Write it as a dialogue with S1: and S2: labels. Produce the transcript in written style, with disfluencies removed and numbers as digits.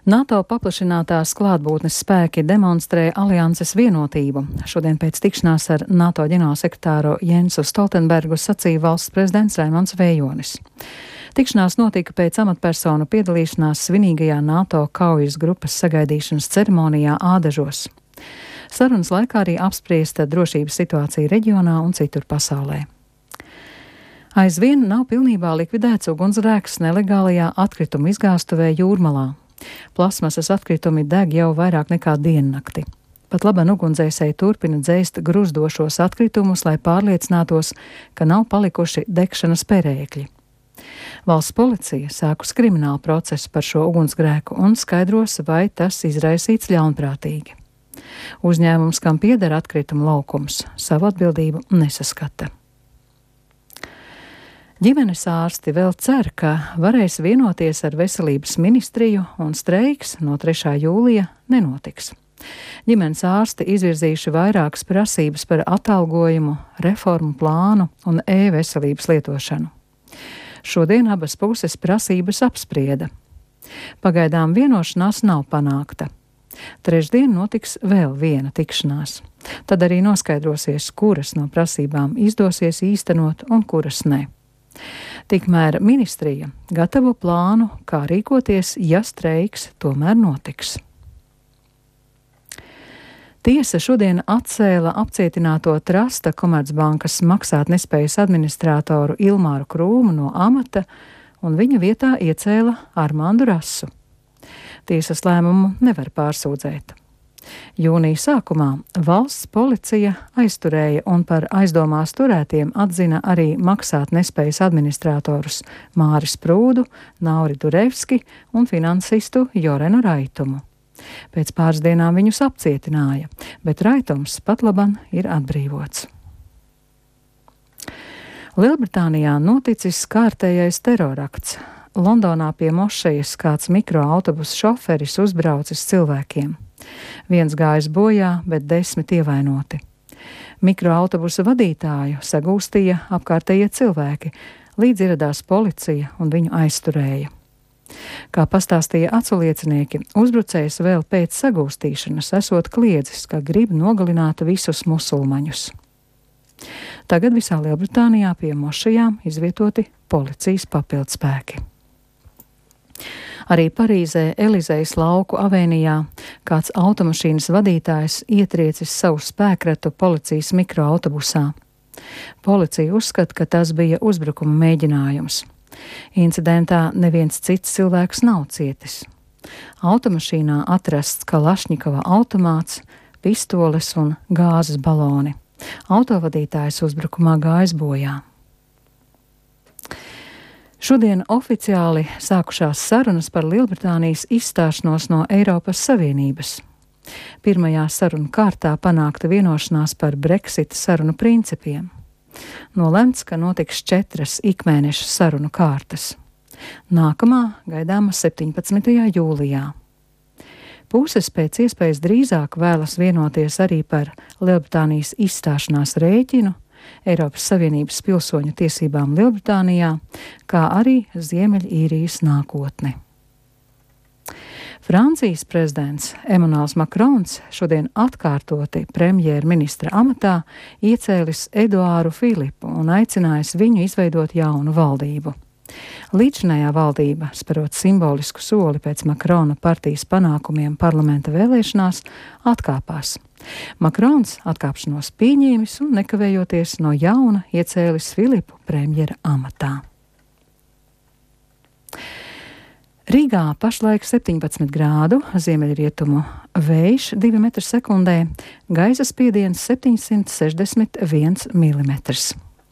S1: NATO paplašinātās klātbūtnes spēki demonstrē alianses vienotību. Šodien pēc tikšanās ar NATO ģenerālsekretāru Jensu Stoltenbergu sacīja valsts prezidents Raimonds Vējonis. Tikšanās notika pēc amatpersonu piedalīšanās svinīgajā NATO kaujas grupas sagaidīšanas ceremonijā Ādažos. Sarunas laikā arī apspriesta drošības situācija reģionā un citur pasaulē. Aizvien nav pilnībā likvidēts ugunsgrēks nelegālajā atkritumu izgāstuvē Jūrmalā. Plasmasas atkritumi deg jau vairāk nekā diennakti. Pat labi ugunsdzēsēji turpina dzēst gruzdošos atkritumus, lai pārliecinātos, ka nav palikuši degšanas perēkļi. Valsts policija sākus kriminālu procesu par šo ugunsgrēku un skaidros, vai tas izraisīts ļaunprātīgi. Uzņēmums, kam pieder atkritumu laukums, savu atbildību nesaskata. Ģimenes ārsti vēl cer, ka varēs vienoties ar veselības ministriju un streiks no 3. jūlija nenotiks. Ģimenes ārsti izvirzījuši vairākas prasības par atalgojumu, reformu plānu un e-veselības lietošanu. Šodien abas puses prasības apsprieda. Pagaidām vienošanās nav panākta. Trešdien notiks vēl viena tikšanās. Tad arī noskaidrosies, kuras no prasībām izdosies īstenot un kuras ne. Tikmēr ministrija gatavo plānu, kā rīkoties, ja streiks tomēr notiks. Tiesa šodien atcēla apcietināto Trasta Komercbankas maksātnespējas administratoru Ilmāru Krūmu no amata un viņa vietā iecēla Armandu Rasu. Tiesas lēmumu nevar pārsūdzēt. Jūnija sākumā valsts policija aizturēja un par aizdomās turētiem atzina arī maksātnespējas administratorus Māris Prūdu, Nauri Durevski un finansistu Jorenu Raitumu. Pēc pāris dienām viņus apcietināja, bet Raitums pat laban ir atbrīvots. Lielbritānijā noticis kārtējais terorakts. Londonā pie mošejas kāds mikroautobusu šoferis uzbraucis cilvēkiem. Viens gājis bojā, bet 10 ievainoti. Mikroautobusu vadītāju sagūstīja apkārtējie cilvēki, līdz ieradās policija un viņu aizturēja. Kā pastāstīja aculiecinieki, uzbrucējs vēl pēc sagūstīšanas esot kliedzis, ka grib nogalināt visus musulmaņus. Tagad visā Lielbritānijā pie mošajām izvietoti policijas papildspēki. Arī Parīzē Elizejas lauku avēnijā kāds automašīnas vadītājs ietriecis savu spēkratu policijas mikroautobusā. Policija uzskata, ka tas bija uzbrukuma mēģinājums. Incidentā neviens cits cilvēks nav cietis. Automašīnā atrasts Kalašņikova automāts, pistoles un gāzes baloni. Autovadītājs uzbrukumā gājis bojā. Šodien oficiāli sākušās sarunas par Lielbritānijas izstāšanos no Eiropas Savienības. Pirmajā sarunu kārtā panākta vienošanās par Brexita sarunu principiem. Nolemts, ka notiks 4 ikmēneša sarunu kārtas. Nākamā gaidāma 17. jūlijā. Puses pēc iespējas drīzāk vēlas vienoties arī par Lielbritānijas izstāšanās rēķinu, Eiropas Savienības pilsoņu tiesībām Lielbritānijā, kā arī Ziemeļīrijas nākotni. Francijas prezidents Emmanuels Macrons šodien atkārtoti premjerministra amatā iecēlis Eduāru Filipu un aicinājis viņu izveidot jaunu valdību. Līdzinājā valdība, sperot simbolisku soli pēc Makrona partijas panākumiem parlamenta vēlēšanās, atkāpās. Makrons atkāpšanos pieņēmis un nekavējoties no jauna iecēlis Filipu premjera amatā. Rīgā pašlaik 17 grādu, ziemeļrietumu vējš 2 metri sekundē, gaisa spiediens 761 milimetrs.